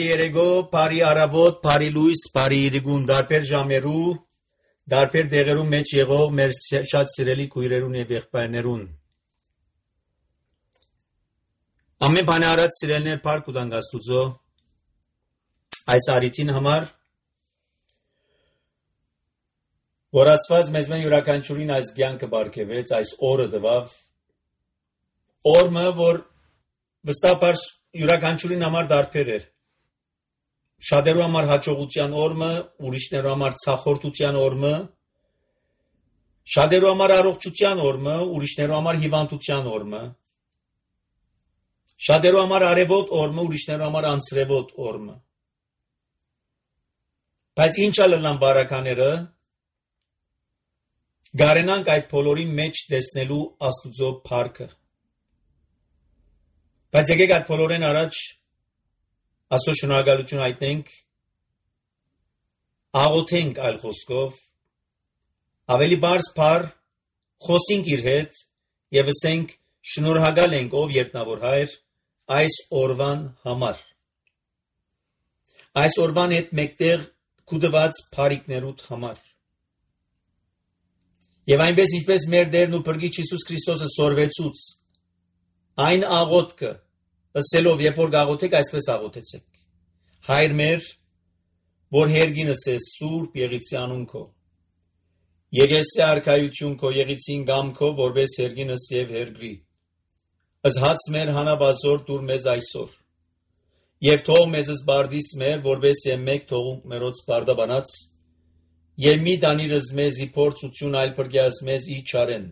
Բարի երեգո, բարի արավոտ, բարի լույս, բարի իրիգուն, դարբեր ժամերու, դարբեր դեղերու մեջ եղող մեր շատ սիրելի քույրերուն եւ եղբայրներուն։ Ամեն բան արած սիրելներ парք ու դանգաստուծո այս արիթին համար որ ասված մեզ մեն յուրաքանչյուրին այս ցանկը բարգեւեց, այս օրը տվավ օրը որ վստահաբար յուրաքանչյուրին համար դարբեր էր շատերու համար հաջողության օրը, ուրիշներու համար ցախորտության օրը, շատերու համար առողջության օրը, ուրիշներու համար հիվանդության օրը, շատերու համար արևոտ օրը, ուրիշներու համար անցրևոտ օրը։ Բայց ինչա լան բարակաները գարենանք այդ բոլորի մեջ տեսնելու Աստուծո փառքը։ Բայց եկեք այդ բոլորեն առաջ Աստծո շնորհակալություն հայտնենք, աղոթենք այլ խոսքով, ավելի բարձ բառ խոսենք իր հետ եւ ասենք շնորհակալ ենք ով երտնավոր հայր այս օրվան համար։ Այս օրվան հետ մեկտեղ կուտված փառիկներուդ համար։ Եվ այնպես ինչպես մեր Տերն ու Փրկիչ Հիսուս Քրիստոսը սորվեցուց այն աղոթքը ասելով երբ որ գաղոթեք այսպես աղոթեցեք Հայր մեր որ հերգինս ես սուրբ եղիցի անուն քո Եղեսի արքայություն քո եղիցին գամ քո որպես հերգինս եւ հերգրի Ըզհաց մեր հանաբազոր դուր մեզ այսօր եւ թող մեզ զբարդիս մեր որպես մեկ թողունք մերոց բարդաբանած եւ մի դանիրս մեզի փորձություն այլ բրգյաս մեզ իչարեն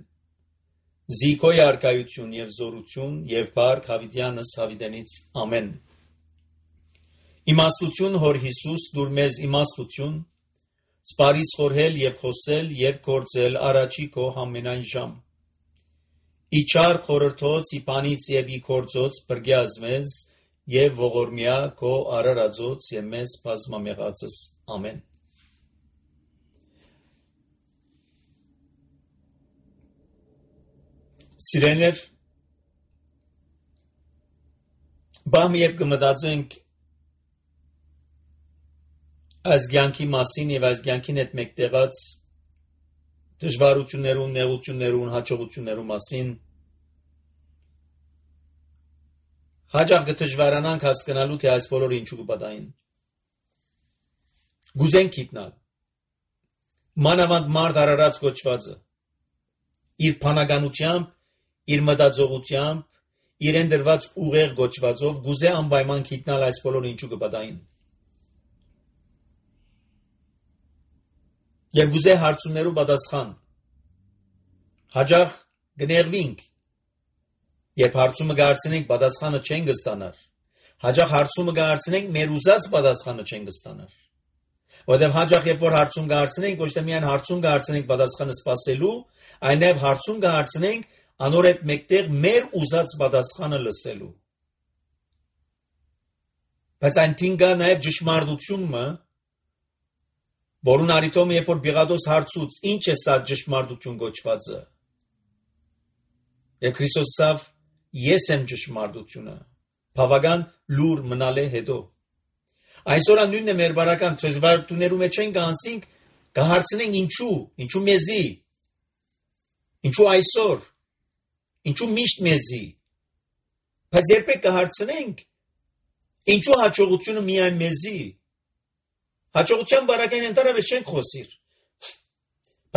Զիքոյ արքայություն եւ զորություն եւ բարք հավիտյանս հավիտենից ամեն Իմաստություն հոր Հիսուս դուր մեզ իմաստություն սպարիս խորհել եւ խոսել եւ գործել առաջի քո ամենայն ժամ Իչար խորհրդոց իբանից եւ ի գործոց բրգյաս մեզ եւ ողորմյա քո արարածոց եւ մեզ բազմամեղածս ամեն Սիրելիներ, բամ երբ կմտածենք այս կյանքի մասին եւ այս կյանքին հետ մեկտեղած դժվարություններուն, նեղություններուն, հաջողություններուն մասին հաջող կդժվարանանք հասկանալու թե այս բոլորը ինչու կպատահին Գուզենք գիտնալ մանավանդ մարդ արարած կոչվածը իր փանականությամբ իր մտածողությամբ, իրեն դրված ուղեղ գոչվածով գուզե անպայման գիտնալ այս բոլորը ինչու կպատահին։ Եվ գուզե հարցումներու պատասխան։ Հաջող կներվինք, երբ հարցումը կհարցնենք պատասխանը չենք ստանար։ Հաջող հարցումը կհարցնենք մեր ուզած պատասխանը չենք ստանար։ Որտեղ հաջող երբ որ հարցում կհարցնենք, ոչ թե միայն հարցում կհարցնենք պատասխանը սпасելու, այլև հարցում կհարցնենք Անոր հետ մեկտեղ մեր ուզած պատասխանը լսելու։ Բայց այնտին կա նաև ճշմարտությունը, որուն արիտոմ երբ որ Պիղատոս հարցուց, ինչ է սա ճշմարտություն գոչվածը։ Եվ Քրիստոս ասավ, ես եմ ճշմարտությունը, բավական լուր մնալ է հետո։ Այսօր նույնն է մեր բարական դժվարություններու մեջ ենք անցնենք, կհարցնենք ինչու մեզի, ինչու այսօր Ինչու միշտ մեզի, բայց երբեք կհարցնենք, ինչու հաջողությունը միայն մեզի, հաջողության բարակային ընդհանրապես չենք խոսիր,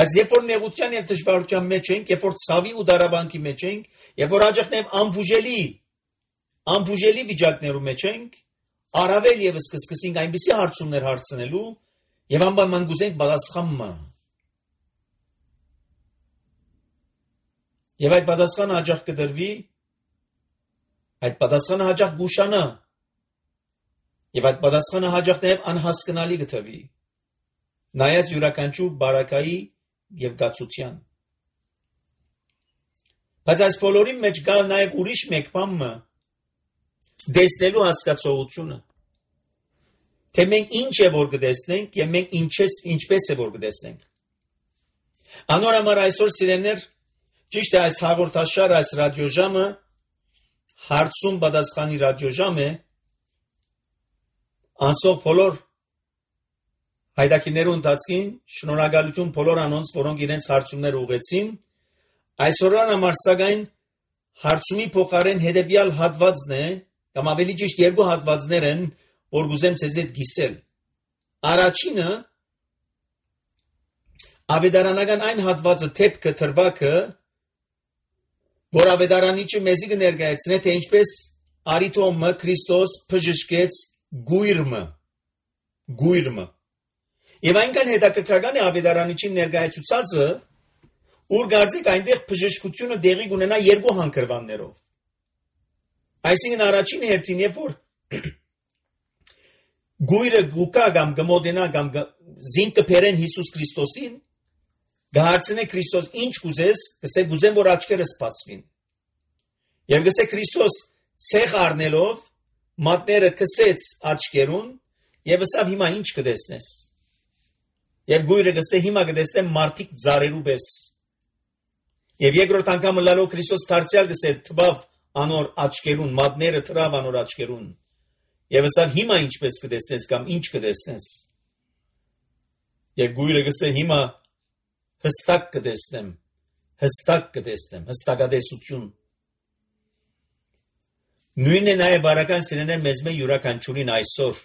բայց երբ որ նեղության և դժվարության մեջ ենք, երբ որ ցավի ու դարաբանքի մեջ ենք, երբ որ հաջող նաև անբուժելի վիճակներու մեջ ենք, առավել ևս կսկսենք այնպիսի հարցումներ հարցնելու և անպայման կուզենք պատասխանը Եվ այդ պատասխանը հաջող կդրվի, այդ պատասխանը հաջող գուշանա, եւ այդ պատասխանը հաջող նաև անհասկանալի կթվի, նայած յուրաքանչյուր բարակայի եւ գացության։ Բայց այս բոլորի մեջ կա նաև ուրիշ մեկ բան, դեսնելու հասկացողությունը, թե մենք ինչ է որ կտեսնենք եւ մենք ինչպես է որ կտեսնենք։ Անոր համար այսօր սիրելիներ Ճիշտ է այս հաղորդաշար, այս ռադիոժամը հարցում պատասխանի ռադիոժամ է, Անսող բոլոր հայդակիներու ընթացքին շնորհակալություն բոլոր անոնց, որոնք իրենց հարցումներ ուղեցին, այսօրան համար սակայն հարցումի փոխարեն հետևյալ հատվածն է, կամ ավելի ճիշտ երկու հատվածներ են, որ գուզեմ ցեզ հետ գիսել։ Առաջինը ավետարանական այն հատվածը թեփքը թրվակը, որ ավետարանիչը մեզի կներկայացնե, թե ինչպես արիթոմը Քրիստոս բժշկեց գույրը։ Եվ այնքան հետաքրքրական է ավետարանիչի ներկայացուցածը, ուր գարձիկ այնտեղ բժշկությունը դեղի կունենա երկու հանգրվաններով։ Այսինքն առաջին հերթին, երբ որ գույրը գուկա կամ գմոդենա կամ զինք կփերեն Հիսուս Քրիստոսին, գահարցնե Քրիստոս ինչ կուզես, կսե գուզեմ, որ աչքերս բացվին։ Եվ կսե Քրիստոս ցեղ առնելով մատները կսեց աչքերուն եւ ասավ հիմա ինչ կտեսնես։ Եվ գույրը կսե հիմա կտեսնեմ մարդիկ ծառերու պես։ Եվ երկրորդ անգամ լալով Քրիստոս դարձյալ կսե թվավ անոր աչքերուն, մատները թրավ անոր աչքերուն։ Եվ ասավ հիմա ինչպես կտեսնես կամ ինչ կտեսնես։ Եվ գույրը կսե հիմա հստակ կտեսնեմ, հստակադեսություն։ Նույնն է նաև բարական սիրեներ մեզ մե յուրաքանչյուրին այսօր,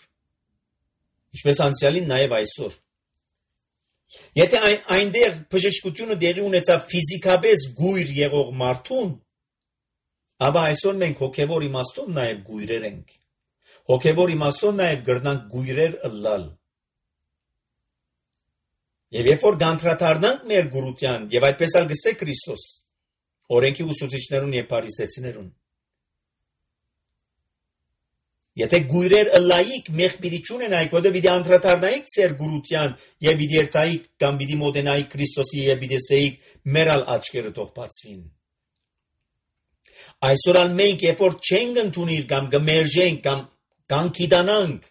ինչպես անցյալին նաև այսօր։ Եթե այնտեղ բժշկությունը դեղի ունեցավ ֆիզիկապես գույր եղող մարդուն, ապա այսօր մենք հոգևոր իմաստով նաև գույրեր ենք։ Հոգևոր իմաստով նաև գրնանք գույրեր ըլլալ։ Եվ երբ որ գանտրատարնանք մեր գուրության, եւ այդպես ալ գսե Քրիստոս, օրենքի ուսուցիչներուն եւ փարիսեցիներուն։ Եթե գույրեր ըլլայիք մեղ պիտի չունենայիք, որտեղ պիտի անդրադառնայիք ձեր գուրության եւ պիտի երթայիք կամ պիտի մոտենայիք Քրիստոսի եւ պիտի ասեիք մերալ աչքերը թող բացվին։ Այսօր ալ մենք երբ որ չենք ընդունիր կամ գմերժենք կամ կանգիդանանք,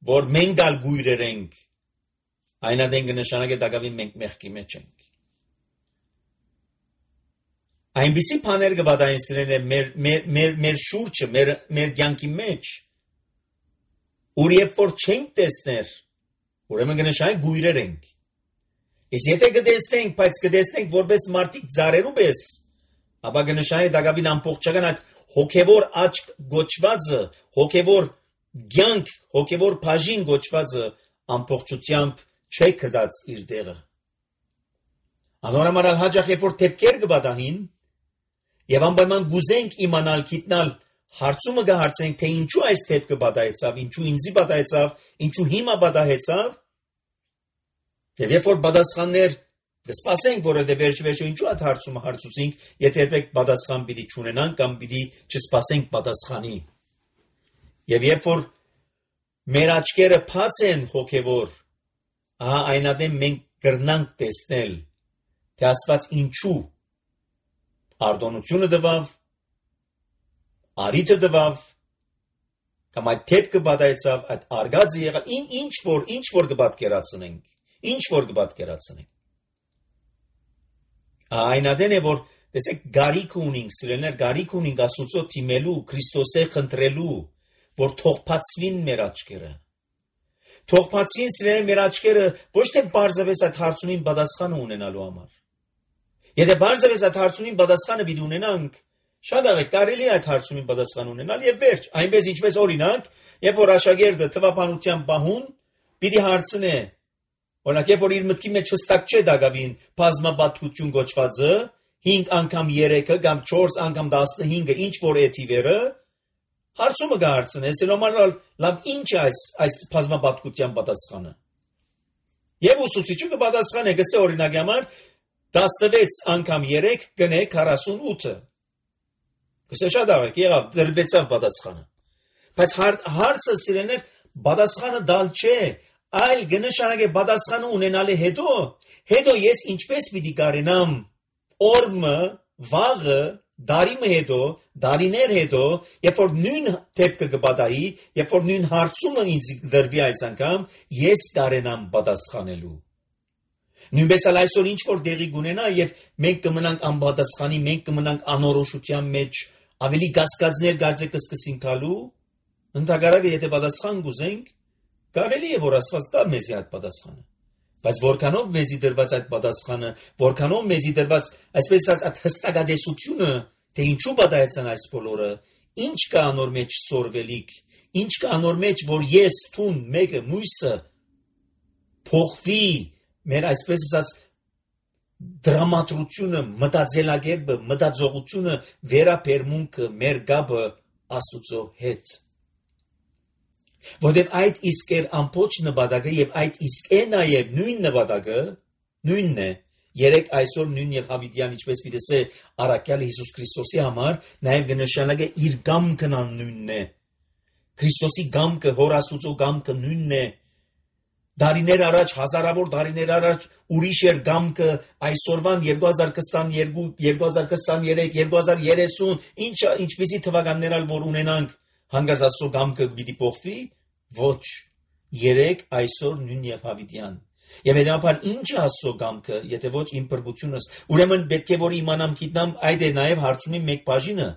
որ մենք ալ գույրեր ենք, այն adեն կնշանակե դակավին մենք մեղքի մեջ ենք։ Այնպիսի բաներ կվադային սիրել մեր շուրջը, մեր կյանքի մեջ, ուր երբ որ չենք տեսներ, ուրեմն կնշանակե գույրեր ենք։ Իսկ եթե կտեսնենք, բայց կտեսնենք որպես մարդիկ ծառերու պես, ապա կնշանակե դակավին ամբողջական այդ հոգևոր աչք գոչվածը, հոգևոր կյանք, հոգևոր բաժին գոչվածը ամբողջությամբ չէ կդած իր դեղը։ Անորամարալ հաջախ երբ որ թեփքեր կբադահին եւ անպայման գուզենք իմանալ, գիտնալ, հարցումը կհարցենք, թե ինչու այս թեփքը բադահեցավ, ինչու ինձի բադահեցավ, ինչու հիմա բադահեցավ։ Եվ երբ որ պատասխաններ կսպասենք, որովհետեւ վերջ-վերջո ինչու այդ հարցումը հարցուցենք, եթե երբեք պատասխան պիտի չունենանք կամ պիտի չսպասենք պատասխանի։ Եվ երբ որ մեր աչքերը բաց են հոգևոր, այնադեմ մենք կրնանք տեսնել, թե Աստված ինչու արդոնությունը տվավ, արիթը տվավ, կամ այդ թեփքը բադայեցավ, այդ արգածը եղավ, ինչ որ կպատկերացնենք, այնադեն է, որ տեսեք գարիք ունենք, սիրելիներ, գարիք ունենք Աստծո թիմելու, Քրիստոսե խնդրելու, որ թող բացվին մեր աչքերը։ Թող բացվին սիրելիներ մեր աչքերը ոչ թե բարձրապես այդ հարցումին պատասխանը ունենալու համար։ Եթե բարձրապես այդ հարցումին պատասխանը պիտի ունենանք, շատ աղեք կարելի է այդ հարցումին պատասխան ունենալ եւ վերջ, այնպես ինչպես օրինակ, երբ որ աշակերտը թվապանության պահուն պիտի հարցնե, օրինակ երբ որ իր մտքի մեջ հստակ չէ դակավին բազմապատկություն գոչվածը, 5 անգամ 3-ը կամ 4 անգամ 15-ը ինչ որ է թիվերը, հարցումը կհարցնես, սելոմանալ լավ ինչ է այս բազմապատկության պատասխանը։ Եվ ուսուցիչը կպատասխանե, գսե օրինակի համար 16 անգամ 3 գնե 48-ը։ Գսե շատ աղեք, եղավ դրվեցավ պատասխանը։ Բայց հարցը սիրելիներ պատասխանը դալ չէ, այլ կնշանակե պատասխանը ունենալը հետո ես ինչպես պիտի կարենամ օրմը, վաղը, դարիմը հետո, դարիներ հետո, երբ որ նույն թեփքը կպատահի, երբ որ նույն հարցումը ինձ դրվի այս անգամ, ես կարենամ պատասխանելու։ Նույնպես էլ այսօր ինչ որ դեղի կունենա եւ մենք կմնանք անպատասխանի, մենք կմնանք անորոշության մեջ, ավելի գասկածներ գարձե կսկսին գալու, ընդհանրապես եթե պատասխան գուզենք, Կարելի է որ Աստված տա մեզի այդ պատասխանը, բայց որքանով մեզի դրված այդ պատասխանը, որքանով մեզի դրված այսպես ասած այդ հստակադեսությունը, թե ինչու պատահեցան այս բոլորը, ինչ կա անոր մեջ սորվելիք, ինչ կա անոր մեջ, որ ես թուն մեկը մույսը փոխվի մեր այսպես ասած դրամատրությունը, մտածելակերպը, մտածողությունը, վերաբերմունքը, մեր գաբը Աստուծո հետ։ Որտեղ այդ իսկ էր ամբողջ նպատակը եւ այդ իսկ է նաեւ նույն նպատակը, նույնն է, երեք այսօր նույն եւ հավիտյան ինչպես պիտեսե առաքյալ Հիսուս Քրիստոսի համար նաեւ կնշանակե իր գամքն նույնն է։ Քրիստոսի գամքը, հոր Աստուծո գամքը նույնն է։ Դարիներ առաջ, հազարավոր դարիներ առաջ ուրիշ էր գամքը, այսօրվան 2022, 2023, 2030, ինչպիսի թվականներ ալ որ ունենանք, հանգարց Աստծո գամքը պիտի փոխվի, ոչ, երեք այսօր նույն եւ հավիտյան։ Եվ հետապար ինչ է Աստծո գամքը, եթե ոչ իմ փրկությունս, ուրեմն պետք է որ իմանամ գիտնամ, այդ է նաեւ հարցումի մեկ բաժինը,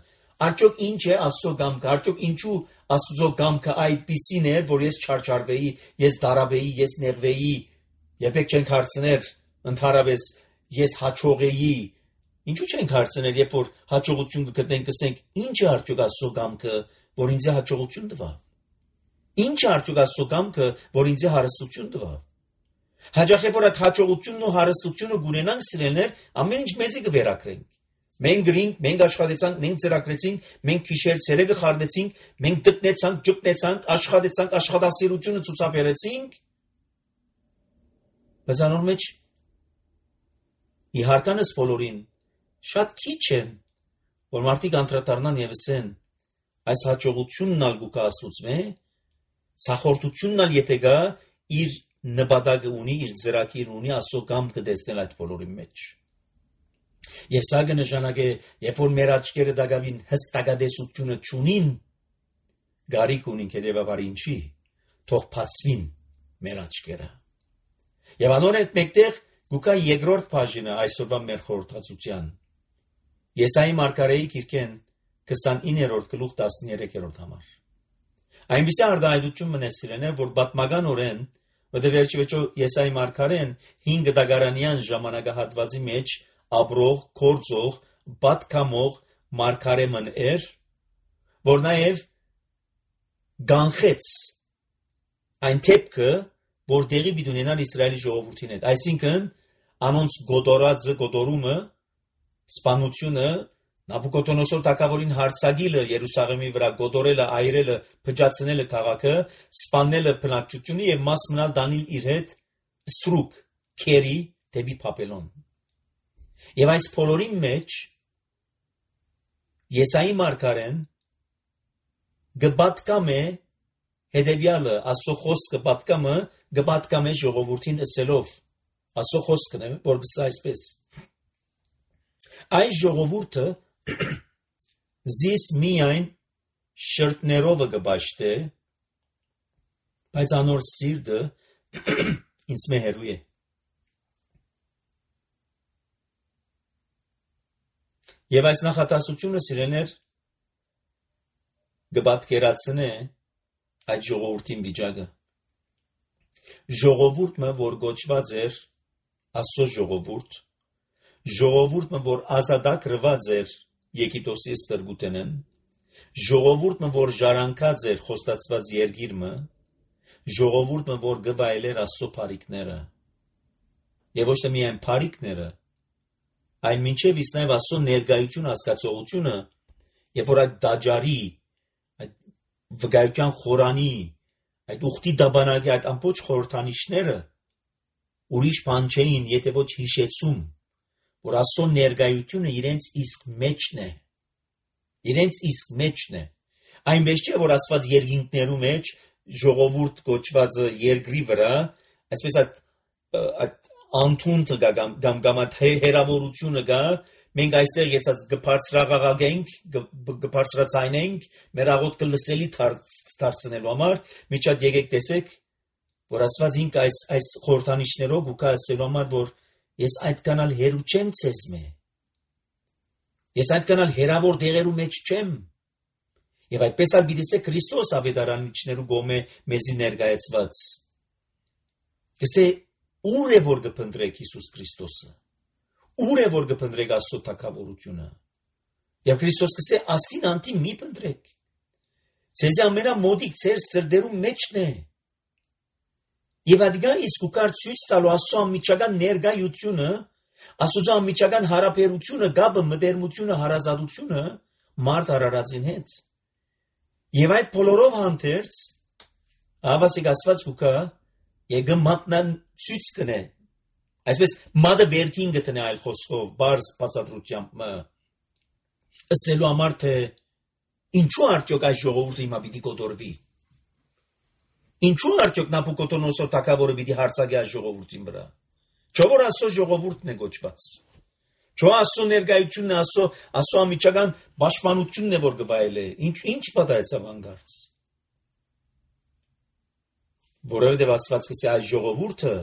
արդյոք ինչ է Աստծո գամքը, արդյոք ինչու Աստծո գամքը այդպիսին է, որ ես չարչարվեի, ես դարաբեի, ես նեղվեի, երբեք չենք հարցներ, ընդհանրապես ես հաջողեի, ինչու չենք հարցներ, երբ որ հաջողություն կգտնենք, կսենք, ինչ է արդյոք Աստծո գամքը, որ ինձ հաջողություն տվա։ Ինչ է արդյոք Աստծո գամքը, որ ինձ հարստություն տվա։ Հաջող է որ այդ հաջողությունն ու հարստությունը գունենանք սիրելներ, ամեն ինչ մեզի կվերակրենք։ Մենք գրինք, մենք աշխատեցանք, մենք ծրագրեցինք, մենք քիշեր ցերեկը խարդեցինք, մենք տնեցանք, ճգնեցանք, աշխատեցանք, աշխատասիրությունը ցուցաբերեցինք։ Բայց անոր մեջ իհարկանս բոլորին շատ քիչ են, որ մարդիկ անդրադառնան եւ ասեն, այս հաջողությունն ալ գուկա Աստծո է, ցախորտությունն ալ եթե գա իր նպատակը ունի, իր ծրագիր ունի, Աստծո գամքը տեսնել այդ բոլորի մեջ։ Եվ սա կնշանակե, երբ որ մեր աչքերը դակավին հստակադեսությունը չունին, գարիք ունին հետևաբար ինչի, թող բացվին մեր աչքերը։ Եվ անոր հետ մեկտեղ գուկա երկրորդ բաժինը այսօրվա մեր խորհրդածության։ Եսայի մարգարեի գիրքեն 29-րդ գլուխ 13-րդ համար։ Այնպիսի արտահայտություն մնա սիրելիներ, որ պատմականորեն, որտեղ վերջիվերջո Եսայի մարգարեն 5 դագարանյան ժամանակահատվածի մեջ ապրող, գործող, պատկամող մարգարեմն էր, որ նաև գանխեց այն թեփքը, որ դեղի պիտի ունենար Իսրայելի ժողովրդին հետ, այսինքն անոնց գոտորումը, սպանությունը, Նաբուկոդոնոսոր թագավորին հարձակելը Երուսաղեմի վրա, գոտորելը, այրելը, փճացնելը քաղաքը, սպանելը բնակչությունը եւ մաս մնալ դանել իր հետ ստրուկ, քերի դեպի Բաբելոն։ Եվ այս բոլորի մեջ Եսայի մարգարեն գպատկամ է հետևյալը, Աստծո խոսքը գպատկամ է ժողովրդին ասելով, Աստծո խոսքն է, որ գսա այսպես. այս ժողովուրդը զիս միայն շրտներով կբաշխե, բայց անոր սիրտը ինձ մե հերու է։ Եվ այս նախատասությունը սիրելիներ կպատկերացնե այդ ժողովրդին վիճակը։ Ժողովուրդը, որ գոչված էր Աստծո ժողովուրդը, որ ազատագրված էր Եգիպտոսի ստրգութենեն, ժողովուրդը, որ ժառանգած էր խոստացված երկիրը, ժողովուրդը, որ գվայել էր Աստծո բարիքները, եւ ոչ թե միայն բարիքները, այլ մինչև իսկ նաև Աստծո ներկայություն հասկացողությունը, երբ որ այդ դաջարի, այդ վկայության խորանի, այդ ուխտի դաբանակի, այդ ամբողջ խորհրդանիշները ուրիշ բան չէին, եթե ոչ հիշեցում, որ Աստծո ներկայությունը իրենց իսկ մեջն է, այնպես չէ, որ Աստված երկինքներու մեջ ժողովուրդ կոչվածը երկրի վրա, այսպես այդ անթունտը կամ այդ հերավորությունը գա, մենք այստեղ եցած գբարձրաղաղագենք, գբարձրացայնենք, մեր աղոթքը լսելի դարձնելու համար, միջատ եկեք տեսեք, որ Աստված ինք այս խորհրդանիշներով ու կա ասելու համար, որ ես այդքան ալ հերու չեմ ցեզ մե, ես այդքան ալ հերավոր դեղերու մեջ չեմ, Եվ այդպես ալ պիտի Քրիստոս ավետարանիչներու գոմե մեզի ներկայացված։ Կսե ուր է որ կփնտրեք Հիսուս Քրիստոսը։ Ուր է որ կփնտրեք Աստծո թագավորությունը։ Եվ Քրիստոս կսե աստին անտի մի փնտրեք։ Ձեզ ամենամոդիկ ձեր սրդերու մեջն է։ Եվ ադիգա իսկ ուկար ցույց տալու Աստծո ամիջական ներկայությունը, Աստծո ամիջական հարաբերությունը, գաբը, մտերմությունը, հարազատությունը մարդ արարածին հետ։ Եվ այդ բոլորով հանդերձ ավասիկ ասված ուկա եկը մատնան ցույց կնե։ Այսպես մադը վերքին գտնե այլ խոսքով, բարձ բացատրությամբ ասելու համար թե ինչու արդյոք այս ժողովուրդը հիմա պիտի կոտորվի։ Ինչու արդյոք Նաբուկոդոնոսոր թագավորը պիտի հարձակի այս ժողովրդին վրա։ Չէ՞ որ Աստծո ժողովուրդն է գոչված։ Չէ՞ Աստծո ներկայությունն է, Աստծո ամիջական պաշտպանությունն է որ գվայել է։ Ինչ պատահեցավ հանգարց։ Որովհետև Աստված կսե այս ժողովուրդը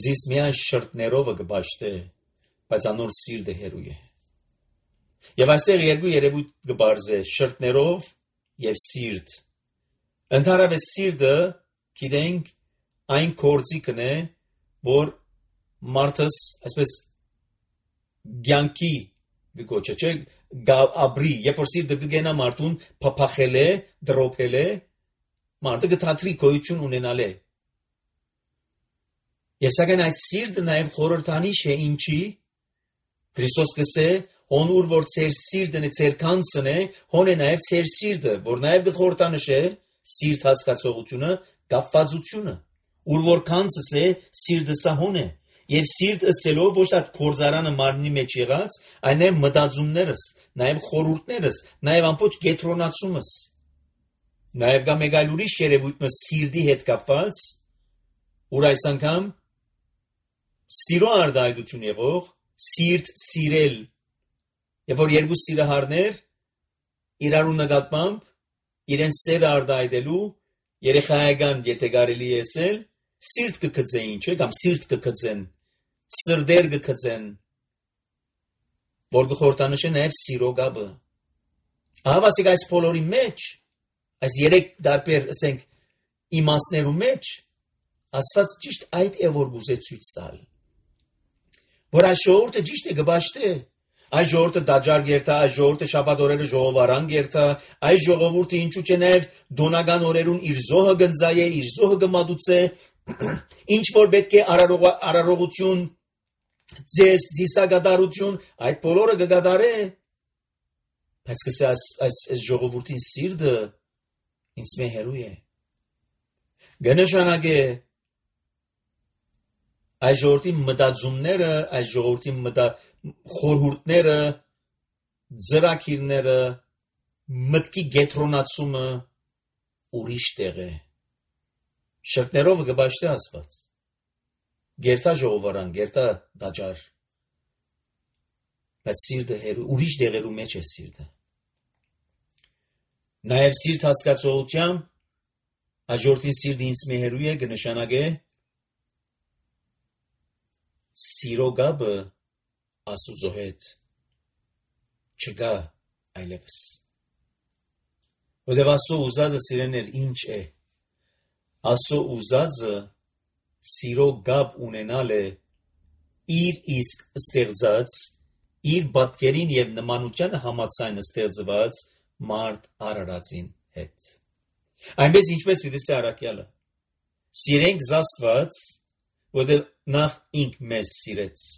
զիս միայն շրտներով կբաշխե, բայց անոր սիրտը հերու է։ Եվ այստեղ երկու երևույթ կբարձե շրտներով եւ սիրտ։ Ընդհանրապես սիրտը գիտենք այն կորձիկն է, որ մարդս այսպես գյանքի գոչը չէ ապրի, երբ որ սիրտը կգենա մարդուն փափախել է, դրոփել է, մարդը կթատրի գոյություն ունենալ է։ Եվ սակայն այդ սիրտը նաև խորհրդանիշ է ինչի Քրիստոս կսե հոնուր որ ծեր սիրտն է, ծեր կանցն է, հոն է նաև ծեր սիրտը, որ նաև կխորհրդանշե սիրտ հասկացողությունը, կապվածությունը, ուր որ կանցս է, սիրտը սա հոն է, եւ սիրտ ըսելով ոչ թե կորձարանը մարմնի մեջ եղած, այլ նաև մտածումներս, նաև խորհուրդներս, նաև ամբողջ կետրոնացումս, նաև կա մեկ այլ ուրիշ երևույթ սիրտի հետ կապված, ուր այս անգամ սիրո արտահայտություն եղող, սիրտ սիրել, եւ որ երկու սիրահարներ իրարու նկատմամբ իրեն սերը արտահայտելու երեխայական եթե կարելի է ասել սիրտ կգծեին, չէ՞ կամ սիրտ կգծեն, սրդեր կգծեն, որ կխորհրդանշե նաև սիրո գաբը։ Ահավասիկ այս բոլորի մեջ, այս երեք դարբեր ասենք իմաստներու մեջ, Աստված ճիշտ այդ է որ գուզե ցույց տալ։ Որ այս ժողովուրդը ճիշտ է գբաշտե, այս ժողովուրդը դաջար գերտա, այս ժողովուրդը շաբաթ օրերը ժողովարան գերտա, այս ժողովուրդը ինչու՞ չէ նաև դոնական օրերուն իր զոհը գնձայե, իր զոհը գմադուցե, ինչ որ պետք է արարողություն, ձես, ձիսագադարություն, այդ բոլորը կգադարե, բայց կսե այս ժողովուրդին սիրտը ինձ մե հերու է։ Գնշանագե այս ժողովրդի մտածումները, այս ժողովրդի խորհուրդները, ծրագիրները, մտքի գետրոնացումը ուրիշ տեղ է։ Շրտներով կբաշխե Աստված։ Գերտա ժողովարան, գերտա դաջար։ Բայց սիրտը հերու ուրիշ տեղերու մեջ է սիրտը։ Նաև սիրտ հասկացողությամբ այս ժողովրդի սիրտը ինձ մե հերու է կնշանակե սիրո գաբը Աստուծո հետ չկա այլևս։ Որտեղ Աստծո ուզածը սիրեներ ինչ է։ Աստծո ուզածը սիրո գաբ ունենալ է իր իսկ ստեղծած, իր պատկերին եւ նմանությանը համաձայն ստեղծված մարդ արարածին հետ։ Այնպես ինչպես պիտի սարակյալը։ Սիրենք Աստված, որտեղ նախ ինք մեզ սիրեց։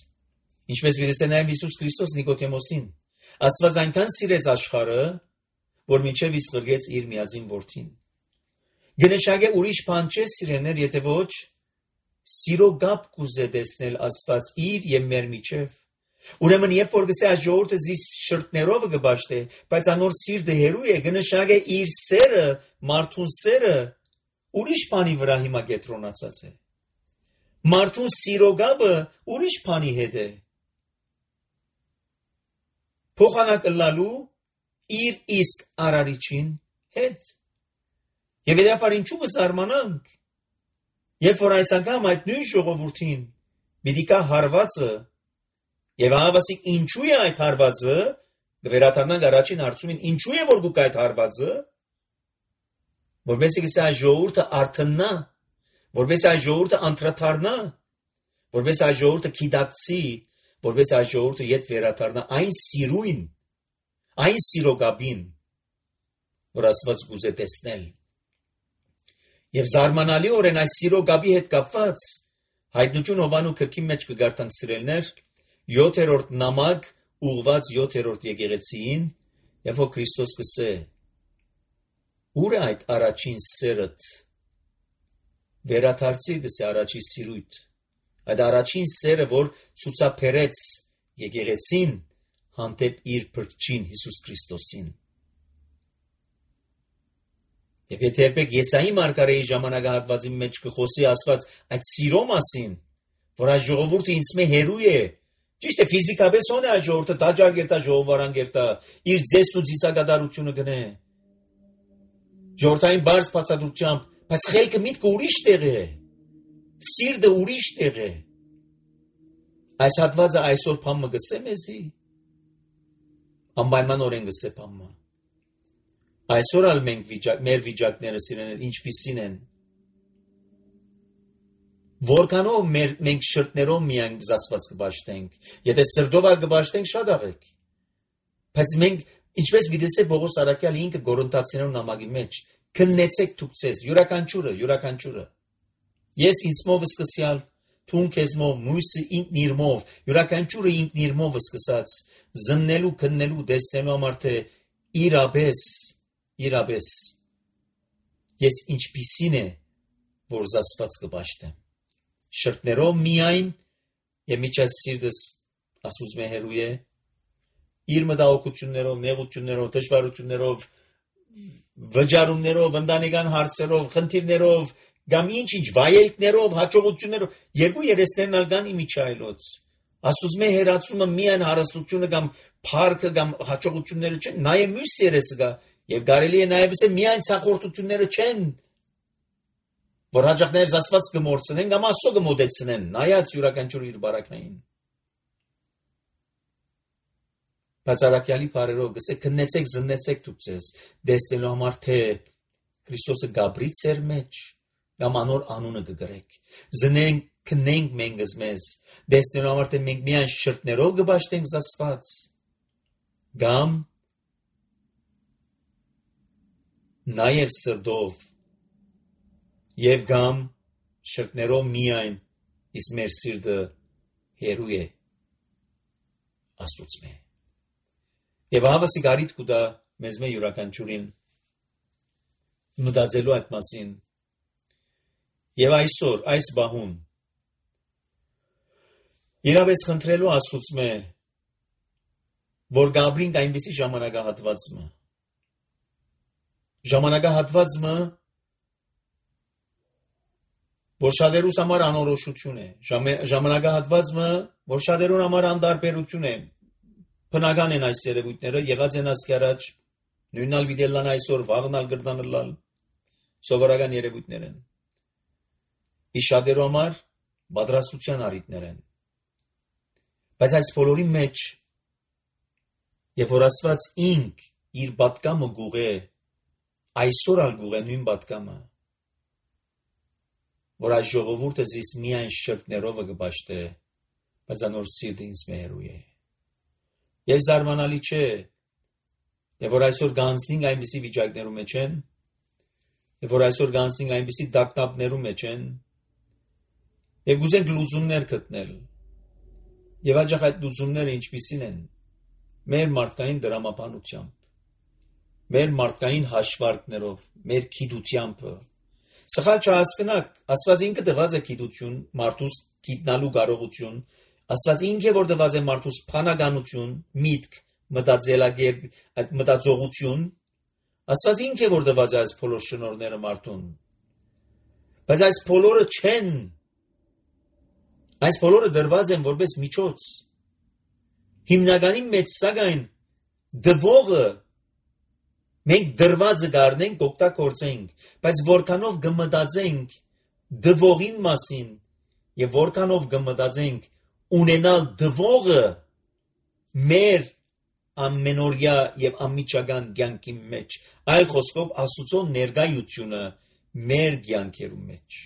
Ինչպես գիտես նաև Հիսուս Քրիստոս Նիկոդեմոսին։ Աստված այնքան սիրեց աշխարհը, որ մինչև իսկ գրգեց իր միածին որդին։ Գնշագե ուրիշ բան չէ սիրեներ, եթե ոչ սիրո գաբ կուզե տեսնել Աստված իր եւ մեր միջև։ Ուրեմն երբ որ գսե այս ժողովուրդը զիս շրտներով կբաշխե, բայց անոր սիրտը հերու է, գնշագե իր սերը, մարդուն սերը ուրիշ բանի վրա հիմա կետրոնացած է։ Մարդուն սիրո գաբը ուրիշ բանի հետ է։ Փոխանակլալու իր իսկ արարիչին հետ։ Եվ դեպար ինչու կզարմանանք, երբ որ այս անգամ այդ նույն ժողովրդին պիտի կա հարվածը, եւ ահավասիկ ինչու է այդ հարվածը, գվերաթարնանք առաջին հարցումին, ինչու է որ գուք այդ հարվածը, որովհետեւ այս ժողովուրդը արթնա, որովհետեւ այս ժողովուրդը անդրադառնա, որովհետեւ այս ժողովուրդը գիտակցի, որովհետեւ այս ժողովուրդը իդ վերադառնա այն սիրույն, այն սիրոգաբին, որ Աստված գուզե տեսնել։ Եվ զարմանալիորեն այս սիրոգաբի հետ կապված Հայտնություն Հովանու գրքի մեջ կգարտանք սիրելներ 7-րդ նամակ ուղված 7-րդ եկեղեցիին, եւ որ Քրիստոս կսե. Ուր է այդ առաջին սերդ, վերադարձի գսե առաջի սիրույթ, այդ առաջին սերը, որ ցուցաբերեց եկեղեցին հանդեպ իր Փրկչին Հիսուս Քրիստոսին։ Եվ եթե երբեք Եսայի մարգարեի ժամանակահատվածի մեջ կխոսի Աստված այդ սիրո մասին, որ այս ժողովուրդը ինձ մե հերու է, ճիշտ է ֆիզիկապես ո՞ն է այս ժողովուրդը, տաճար գերտա, ժողովարան գերտա, իր ձեզն ու ձիսագադարությունը գնե։ Ժողովրդային բարձ բացատրությամբ, բայց խելքը միտքը ուրիշ տեղ է, սիրտը ուրիշ տեղ է։ Այս հատվածը այսօր փամը գսե մեզի, անպայմանորեն գսե փամը։ Այսօր ալ մենք մեր վիճակները սիրելիներ ինչպիսին են։ Որքանով մենք շրտներով միայն զասված կբաշխենք, եթե սրտով ալ կբաշխենք շատ աղեք։ Բայց մենք ինչպես գիտեսե Պողոս Արաքյալը ինքը Կորինթացիներուն նամակի մեջ քննեցեք թուքցես յուրաքանչյուրը։ Ես ինձմով սկսյալ, թուն քեզմով, մույսը ինքն իրմով, յուրաքանչյուրը ինքն իրմով սկսած, զննելու, քննելու, դեսնելու համար թե իրապես ես ինչպիսին է, որ զասված կբաշխեմ։ Շրտներով միայն եւ միջած սիրտս ասուց մե հերու է, իր մտահոգություններով, նեղություններով, դժվարություններով, վճարումներով, ընտանեկան հարցերով, խնդիրներով, կամ ինչ վայելքներով, հաջողություններով, երկու երեսներն ալ կան իմիջայլոց։ Աստուծո մե հերացումը միայն հարստությունը կամ փառքը կամ հաջողությունները չեն, նաեւ մյուս երեսը կա, եւ կարելի է նաեւ ասել միայն ցախորտությունները չեն, որ հաջողներ զասված կմորցնեն կամ Աստծո կմոտեցնեն, նայած յուրաքանչյուր իր բարակային։ Բայց Արաքյալի բարերով գսե քննեցեք, զննեցեք դուքսես, դեսնելու համար թե Քրիստոսը գաբրի ծեր մեջ կամ անոր անունը կգրեք։ Զնենք, քննենք մենքս մեզ, դեսնելու համար թե մենք միայն շրտներով կբաշխենք զասված, կամ նաեւ սրտով, եւ կամ շրտներով միայն, իսկ մեր սիրտը հերու է Աստուծո։ Եվ հավասի գարիտ կուտա մեզ մե յուրաքանչյուրին մտածելու այդ մասին։ Եվ այսօր, այս բահուն, իրավես խնդրելու Աստուծո, որ գաբրինք այնպիսի ժամանակահատվածը, որ շատերուս համար անորոշություն է, ժամանակահատվածը, որ շատերուն համար անդարբերություն է, բնական են այս երևույթները, եղած են ասկի առաջ, նույնալ վիդելլան այսօր, վաղնալ գրդանլալ, սովորական երևույթներ են։ Իս շատերու համար պատրաստության առիթներ են։ Բայց այս բոլորի մեջ, եւ որ Աստված ինք իր պատկամը գուղե, այսօր ալ գուղե նույն պատկամը, որ այս ժողովուրդը զիս միայն շրտներով կբաշխե, բայց անոր սիրտը ինձ մերու է։ Եվ զարմանալի չէ, եւ որ այսօր գանցնենք այնպիսի վիճակներու մեջ են, եւ որ այսօր գանցնենք այնպիսի դակտապներու մեջ են, եւ գուզենք լուծումներ գտնել։ Եվ աջախ այդ լուծումները ինչպիսին են, մեր մարդկային դրամապանությամբ, մեր մարդկային հաշվարկներով, մեր գիտությամբ։ Սխալ չհասկնաք, Աստված ինքը տված է գիտություն, մարդուս գիտնալու կարողություն, Աստված ինքը որ տված է մարդուս փանականություն, միտք, մտածելակերպ, այդ մտածողություն, Աստված ինքը որ տված է այս բոլոր շնորհները մարդուն։ Բայց այս բոլորը չեն, այս բոլորը դրված են որպես միջոց։ Հիմնականի մեջ սակայն դվողը մենք դրվածը գարնենք, օգտագործենք, բայց որքանով կմտածենք դվողին մասին եւ որքանով կմտածենք ունենալ դվողը մեր ամենօրյա եւ անմիջական կյանքի մեջ, այլ խոսքով Աստծո ներկայությունը մեր կյանքերում մեջ։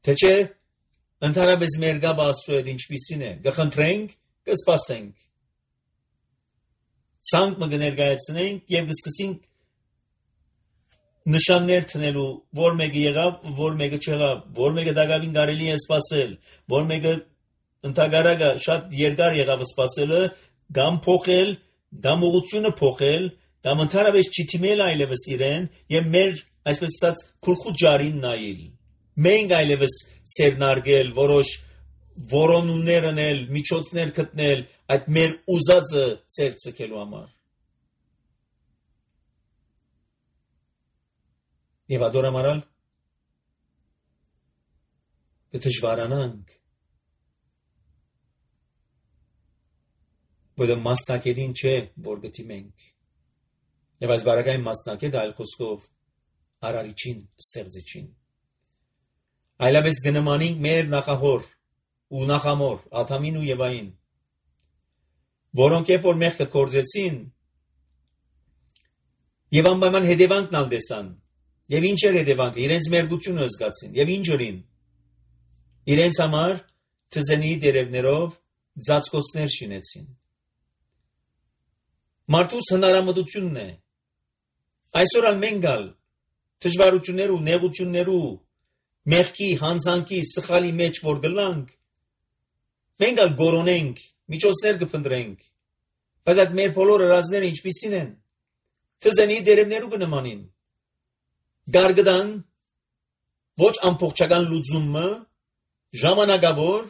Թե չէ, ընդհանրապես մեր գաբը Աստծո հետ ինչպիսին է, կխնդրենք, կսպասենք։ Ցանկ մը կներկայացնենք եւ կսկսենք նշաններ տնելու, որ մեկը եղավ, որ մեկը չեղավ, որ մեկը դակավին կարելի է սպասել, որ մեկը ընդհանրակը շատ երկար եղավ սպասելը, կամ փոխել, կամ ուղղությունը փոխել, կամ ընդհանրապես չթիմել այլևս իրեն եւ մեր, այսպես ասած, քուրքու ջարին նայել։ Մենք այլևս ցերնարգել, որոշ որոնումներ անել, միջոցներ գտնել այդ մեր ուզածը ցերծելու համար։ Եվ adoramaral կդժվարանանք, որ մասնակետին չէ, որ գտիմենք։ Եվ այս բարակային մասնակետը այլ խոսքով արարիչին, ստեղծիչին։ Այլապես գնմանինք մեր նախահոր ու նախամոր, Ադամին ու Եվային, որոնք երբ որ մեղքը կործեցին, եւ անպայման հետևանքն ալ տեսան, եւ ինչ էր հետևանքը, իրենց մերգությունը զգացին, եւ ինչ ըրին, իրենց համար թզենի դերևներով ծածկոցներ շինեցին։ Մարդուս հնարամտությունն է, այսօր ալ մենք ալ դժվարություններ ու նեղություններ ու մեղքի, հանցանքի, սխալի մեջ որ գլանք, մենք ալ գորոնենք, միջոցներ կփնտրենք, բայց այդ մեր բոլոր հրազները ինչպիսին են, թզենի դերևներու կնմանին, գարգդան, ոչ ամբողջական լուծումը, ժամանակավոր,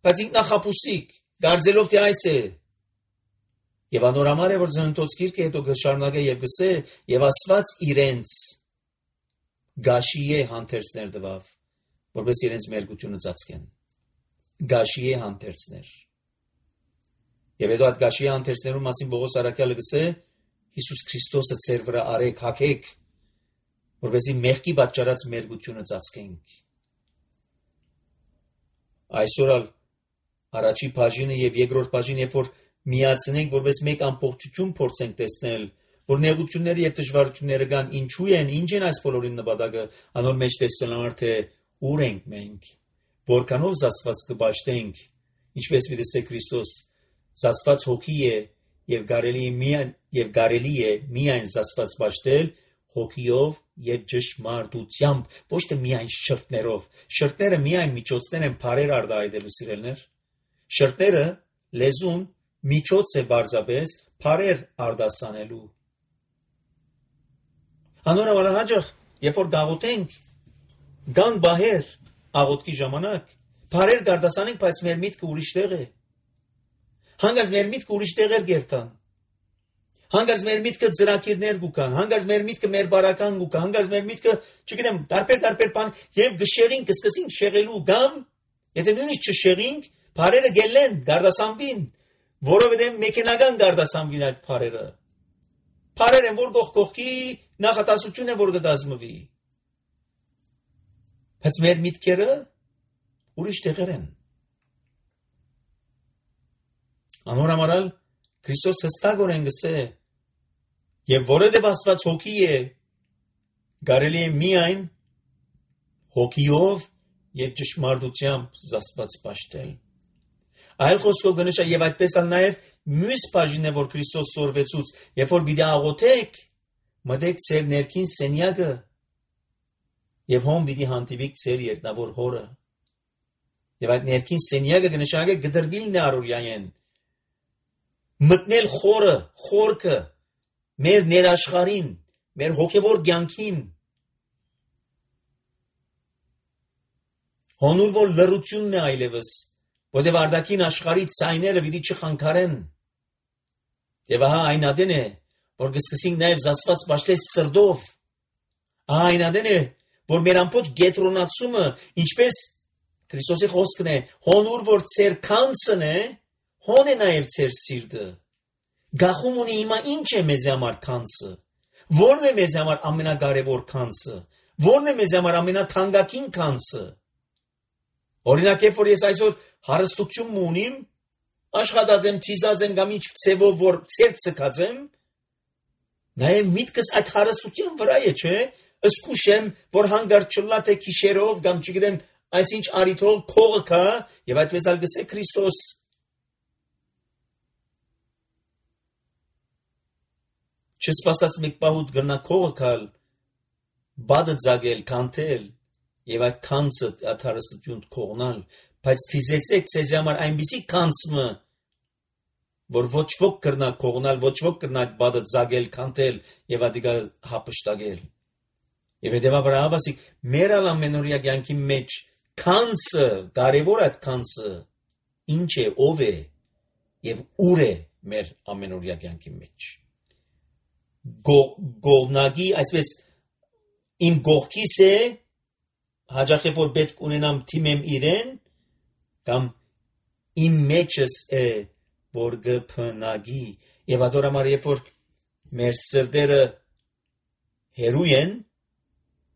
բայց ինքնախապուսիկ, գարձելով թե այս է, եւ անորամար է, որ ծննդոց գիրքը հետո կշարունակե եւ գսե, եւ Աստված իրենց գաշի է հանդերձներ տվավ, որպես իրենց մերգությունը ծածկեն, գաշի է հանդերձներ, եւ հետո այդ գաշի հանդերձներու մասին Պողոս առաքյալը գսե, Հիսուս Քրիստոսը ծեր վրա արեք, հագեք, որպեսզի մեղքի պատճառած մերգությունը ծածկենք։ Այսօր ալ առաջի բաժինը եւ երկրորդ բաժինը, երբ որ միացնենք, որպես մեկ ամբողջություն փորձենք տեսնել, որ նեղությունները եւ դժվարությունները կան, ինչու են, ինչ են այս բոլորին նպատակը, անոր մեջ տեսնելանար թե ուր ենք մենք, որքանով զասված կբաշխենք, ինչպես վիրսե Քրիստոս զասված հոգի է եւ կարելի է միայն զասված բաշխել հոգիով եւ ճշմարտությամբ, ոչ թե միայն շրթներով։ Շրթները միայն միջոցներ են բարեր արտահայտելու սիրելներ։ Շրթները լեզուն միջոց է բարձաբես բարեր արտասանելու։ Անորոշ հաջող, երբ որ գաղութենք, գան բահեր աղոթքի ժամանակ, բարեր արտասանենք, բայց մեր միտքը ուրիշ տեղ է։ Հանգած մեր միտքը ուրիշ տեղեր գերտան։ Հանգած մեր միտքը ծրակիրներ գուկան, հանգած մեր միտքը մեր բարական գուկա, հանգած մեր միտքը, չգիտեմ, տարբեր բան եւ գշերին կսկսենք շեղելու գամ, եթե նույնիսկ չշեղինք, բարերը գելեն, գարդասանվին, որովհետեւ մեքենական գարդասանվին այդ բարերը։ Բարեր են, որ գողքի նախատասություն է, որ կդազմվի։ Բայց մեր միտքերը ուրիշ տեղեր են։ Անորամարալ Քրիստոս հստակորեն գսե, եւ որովհետեւ Աստված հոգի է, կարելի է միայն հոգիով եւ ճշմարտությամբ զասված պաշտել։ Այլ խոսքով գնշա եւ այդպես ալ նաեւ մյուս բաժինն է, որ Քրիստոս սորվեցուց, երբ որ պիտի աղոթեք, մտեք ձեր ներքին սենյակը եւ հոմ պիտի հանդիպիք ձեր երկնավոր հորը։ Եվ այդ ներքին սենյակը գնշակը գդրվիլն է առօրյայեն։ Մտնել խորքը, մեր ներաշխարին, մեր հոգևոր կյանքին, հոնուր որ լռությունն է այլևս, որտեղ արդակին աշխարհի ցայները պիտի չխանգարեն։ Եվ ահա այն ադեն է, որ կսկսենք նաև զասված պաշտել սրտով։ Ահա այն ադեն է, որ մեր ամբողջ գետրոնացումը, ինչպես Քրիստոսի խոսքն է, հոնուր որ ծեր քանցն է, հոն է նաև ծեր սիրտը։ Գախում ունի հիմա ինչ է մեզ համար քանցը։ Որն է մեզ համար ամենակարևոր քանցը։ Որն է մեզ համար ամենաթանկագին քանցը։ Օրինակ, երբ որ ես այսօր հարստություն ունիմ, աշխատած եմ, թիզած եմ, կամ ինչ ցևով որ ցերկ ցկած եմ, նաեւ միտքս այդ հարստության վրա է, չէ՞, ըսկուշ եմ, որ հանգարտ չլա թե քիշերով կամ չգիտեմ, այսինչ արիթով քողը կա, եւ այդպես ալ գսե Քրիստոս չսպասած մեկ պահուտ գրնա քողը կալ, բադը ձագել, կանթել, եւ այդ կանցը այդ հարստություն քողնալ, բայց թիզեցեք ցեզի համար այնպիսի կանցը, որ ոչ ոք կրնա քողնալ, ոչ ոք կրնա այդ բադը ձագել, կանթել եւ ադիգա հապշտագել։ Եվ հետեւաբար ավասիկ մեր ամենօրյա կյանքի մեջ կանցը, կարևոր այդ կանցը ինչ է, ով է եւ ուր է մեր ամենօրյա կյանքի մեջ։ Գողնագի, այսպես իմ գողքիս է, հաջախ է որ պետք ունենամ թիմեմ իրեն, կամ իմ մեջս է, որ գփնագի, եւ ադորամար երբ որ մեր սրտերը հերու են,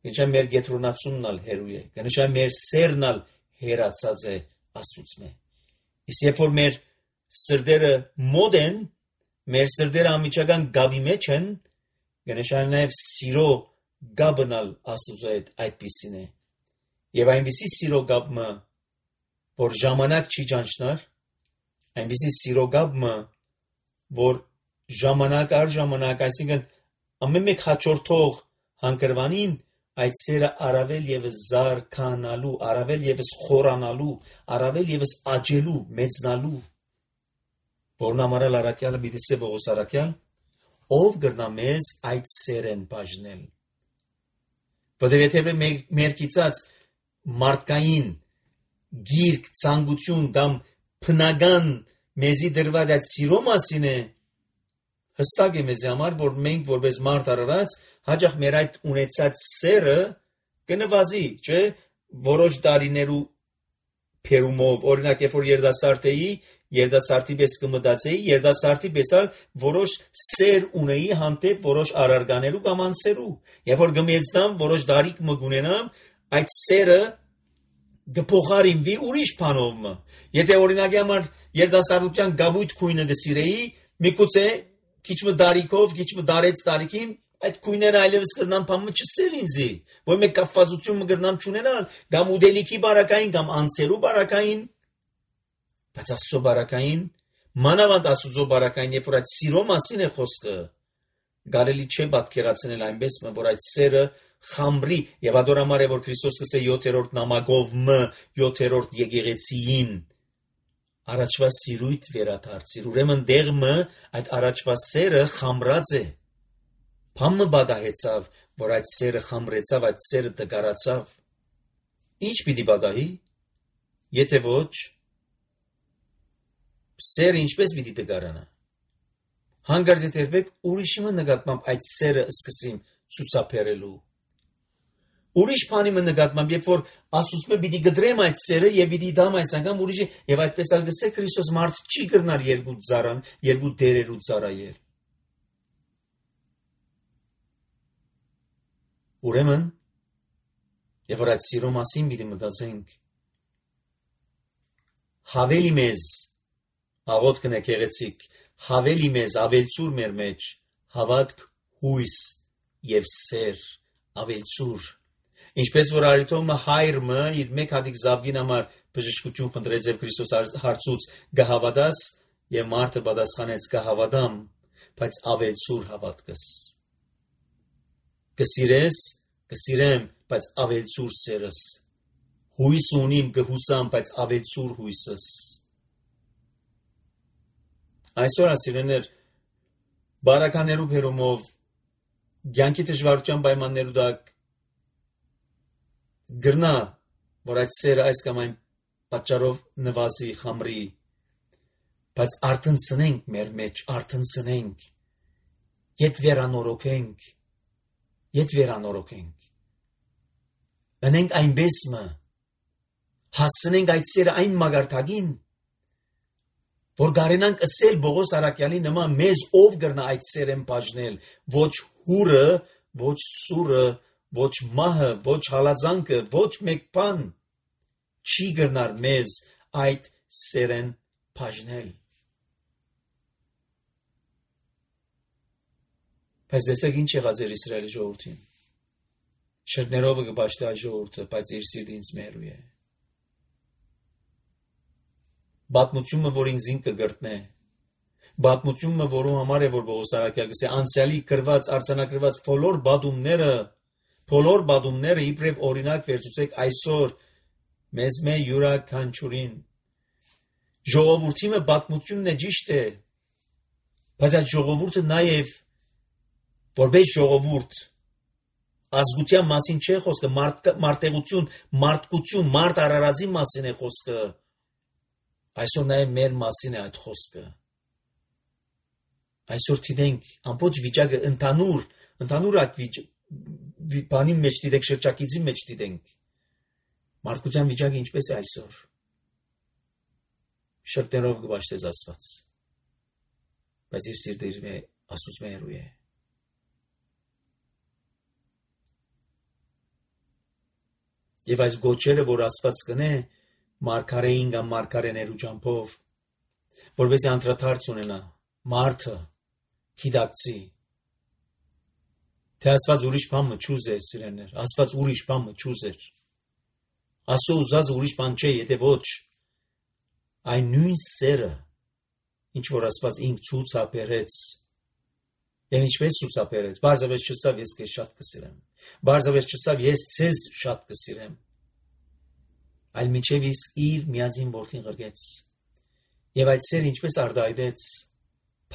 գնշա մեր գետրոնացումն ալ հերու է, գնշա մեր սերն ալ հերացած է Աստծուց։ Իսկ երբ որ մեր սրտերը մոտ են, մեր սրտերը ամիջական գաբի մեջ են, գնշա նաեւ սիրո գաբն ալ Աստծուց հետ այդպիսին է։ Եվ այնպիսի սիրո գաբը, որ ժամանակ չի ճանչնար, այնպիսի սիրո գաբը, որ ժամանակ առ ժամանակ, այսինքն ամեն մեկ հաջորդող հանգրվանին այդ սերը առավել եւս զարգանալու, առավել եւս խորանալու, առավել եւս աճելու, մեծնալու, որն ամառալ առաքյալը բիդիսե Պողոս առաքյալ, ով գրնա մեզ այդ սերեն բաժնել։ Որտեղ եթե մեր կիցած մարդկային գիրք, ցանկություն կամ փնական մեզի դրված այդ սիրո մասին է, հստակ է մեզ համար, որ մենք որպես մարդ արարած հաջող մեր այդ ունեցած սերը կնվազի, չէ՞, որոշ տարիներու փերումով, օրինակ երբ որ երդասարդ էի, երդասարտի պես կմտածեի, երդասարտի պես որոշ սեր ունեի հանդեպ որոշ արարկաներու կամ անձերու, երբ որ գմեծնամ, որոշ դարիք մգունենամ, այդ սերը գփոխարինվի ուրիշ բանով։ Եթե օրինակի համար երդասարտության գաբույթ քույնը գսիրեի, միգուցե քիչ դարիքով, քիչ դարեց տարիքին այդ քույները այլևս կրնան բամը չսեր ինձի, որ մեկ կապվածություն կրնան չունենալ, կամ ուդելիքի բարակային, կամ անձերու բարակային, բայց Աստծո բարակային, մանավանդ Աստծո բարակային, երբ որ այդ սիրո մասին է խոսքը, կարելի չէ պատկերացնել այնպես, որ այդ սերը խամրի, եւ ադորամար է որ Քրիստոս կսե 7-րդ նամակով 7-րդ եկեղեցիին առաջվա սիրույթ վերադարձիր, ուրեմն դեղը այդ առաջվա սերը խամրած է, փամը բադահեցավ, որ այդ սերը խամրեցավ, այդ սերը դգարացավ, ինչ պիտի բադահի, եթե ոչ, սերը ինչպես պիտի դգարանա, հանգարց եթե երբեք ուրիշի նկատմամբ այդ սերը սկսիմ ցուցաբերելու, ուրիշ բանի նկատմամբ, երբ որ Աստծո պիտի գդրեմ այդ սերը եւ պիտի դամ այս անգամ ուրիշի եւ այդպես ալ գսե Քրիստոս մարդ չի գրնար երկու ծառան, երկու դերերու ծառայել։ Ուրեմն եւ որ այդ սիրո մասին պիտի մտածենք, հավելի մեզ աղոթքն է գեղեցիկ, հավելի մեզ ավելցուր մեր մեջ, հավատք, հույս եւ սեր, ավելցուր։ Ինչպես որ արիթոմը հայրը իր մեկ հատիկ զավգին համար բժշկություն խնդրեց եւ Քրիստոս հարցուց գահավադաս եւ մարդը պատասխանեց գահավադամ, բայց ավելցուր հավատքս։ Կսիրես, կսիրեմ, բայց ավելցուր սերս։ Հույս ունիմ կհուսամ, բայց ավելցուր հույսս։ Այսօր ասիրեներ բարականերու բերումով կյանքի դժվարության պայմաններու դակ գրնա, որ այդ սերը այս կամ այն պատճառով նվազի, խամրի, բայց արթնցնենք մեր մեջ, արթնցնենք, ետ վերանորոգենք, ընենք այնպես մը, հասցնենք այդ սերը այն մագարտագին, որ գարենանք ասել Պողոս առաքյալի նման մեզ ով գրնա այդ սերեն բաժնել, ոչ հուրը, ոչ սուրը, ոչ մահը, ոչ հալածանքը, ոչ մեկ բան չի գրնար մեզ այդ սերեն բաժնել։ Բայց դեսեք ինչ եղած էր Իսրայելի ժողովրդին։ Շրտներով կպաշտի այս ժողովուրդը, բայց իր սիրտը ինձ մերու է։ Պատմությունը, որ ինձ կգրտնե, պատմությունը, որում համար է, որ Պողոս Արաքյալը գսե անցյալի գրված, արձանագրված բոլոր բադումները իբրև օրինակ վերցուցեք այսօր մեզ մե յուրաքանչյուրին։ Ժողովրդի պատմությունն է ճիշտ է, բայց այդ ժողովուրդը նաև որպես ժողովուրդ ազգության մասին չէ խոսքը, մարտեղություն, մարդկություն, մարդ արարածի մասին է խոսքը։ Այսօր նաև մեր մասին է այդ խոսքը։ Այսօր դիտենք ամբողջ վիճակը ընդհանուր այդ բանի մեջ դիտենք, շրջակիցի մեջ դիտենք։ Մարդկության վիճակը ինչպես է այսօր։ Շրտերով կպաշտես Աստված, բայց իր սիրտը Աստծուց մերու է։ Եվ այս գոչերը, որ Աստված կնե, մարգարեին կամ մարգարեներու ճամփով, որպեսզի անդրադարձ ունենա մարդը, գիտակցի, թե Աստված ուրիշ բան մչուզ է սիրեներ, Աստված ուրիշ բան մչուզ էր, Աստծո ուզած ուրիշ բան չէ, եթե ոչ, այն նույն սերը, ինչ որ Աստված ինք ցուցաբերեց, եւ ինչպես ցուցաբերեց, բարձրապես չսավ ես քեզ շատ կսիրեմ, բարձրապես չսավ ես ցեզ շատ կսիրեմ, այլ միջև իր միածին որդին ղրգեց, եւ այդ սերը ինչպես արտահայտեց,